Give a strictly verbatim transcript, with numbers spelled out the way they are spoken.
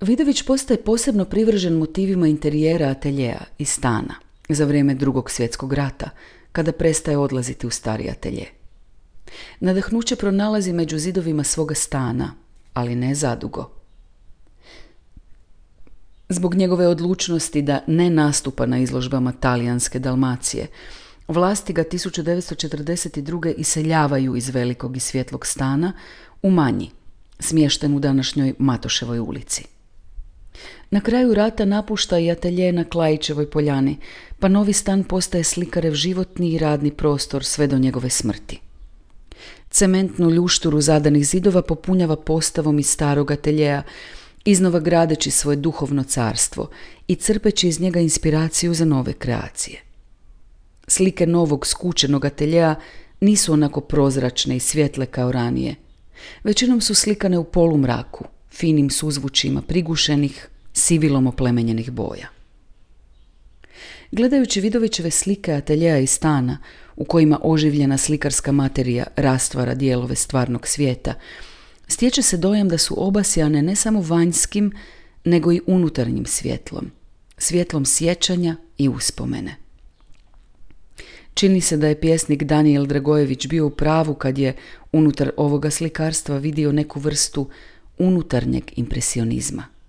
Vidović postaje posebno privržen motivima interijera ateljea i stana za vrijeme Drugog svjetskog rata, kada prestaje odlaziti u stari atelje. Nadahnuće pronalazi među zidovima svoga stana, ali ne zadugo. Zbog njegove odlučnosti da ne nastupa na izložbama talijanske Dalmacije, vlasti ga tisuću devetsto četrdeset druge iseljavaju iz velikog i svjetlog stana u manji, smješten u današnjoj Matoševoj ulici. Na kraju rata napušta i atelje na Klajićevoj poljani, pa novi stan postaje slikarev životni i radni prostor sve do njegove smrti. Cementnu ljušturu zadanih zidova popunjava postavom iz starog ateljeja, iznova gradeći svoje duhovno carstvo i crpeći iz njega inspiraciju za nove kreacije. Slike novog skučenog ateljeja nisu onako prozračne i svjetle kao ranije. Većinom su slikane u polumraku, finim suzvučima prigušenih, sivilom oplemenjenih boja. Gledajući Vidovićeve slike ateljeja i stana, u kojima oživljena slikarska materija rastvara dijelove stvarnog svijeta, stječe se dojam da su obasjane ne samo vanjskim, nego i unutarnjim svjetlom, svjetlom sjećanja i uspomene. Čini se da je pjesnik Danijel Dragojević bio u pravu kad je unutar ovoga slikarstva vidio neku vrstu unutarnjeg impresionizma.